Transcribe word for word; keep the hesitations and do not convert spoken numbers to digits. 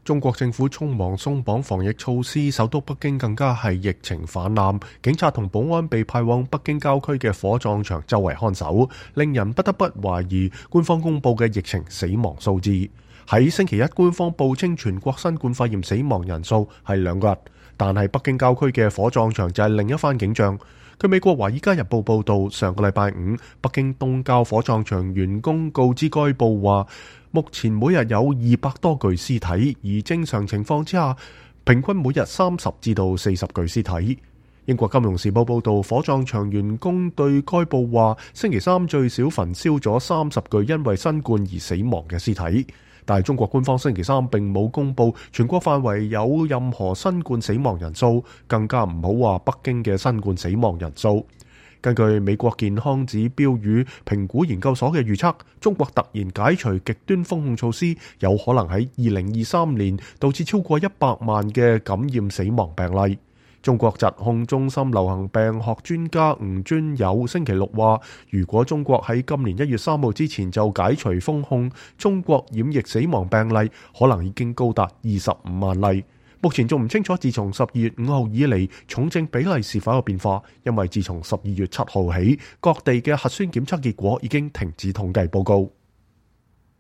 中國政府匆忙鬆綁防疫措施，首都北京更加係疫情泛濫，警察同保安被派往北京郊區嘅火葬場周圍看守，令人不得不懷疑官方公布嘅疫情死亡數字。喺星期一，官方報稱全國新冠肺炎死亡人數係兩個人，但係北京郊區嘅火葬場就係另一番景象。據美國《華爾街日報》報道，上個禮拜五，北京東郊火葬場員工告知該報話，目前每日有二百多具屍體，而正常情況之下，平均每日三十至到四十具屍體。英國金融時報報道，火葬場員工對該報話，星期三最少焚燒咗三十具因為新冠而死亡嘅屍體。但係中國官方星期三並冇公布全國範圍有任何新冠死亡人數，更加唔好話北京嘅新冠死亡人數。根據美國健康指標與評估研究所嘅預測，中國突然解除極端封控措施，有可能喺二零二三年導致超過一百萬嘅感染死亡病例。中國疾控中心流行病學專家吳尊友星期六話，如果中國喺今年一月三號之前就解除封控，中國染疫死亡病例可能已經高達二十五萬例。目前仲唔清楚自從十二月五號以嚟重症比例是否有變化，因為自從十二月七號起，各地嘅核酸檢測結果已經停止統計報告。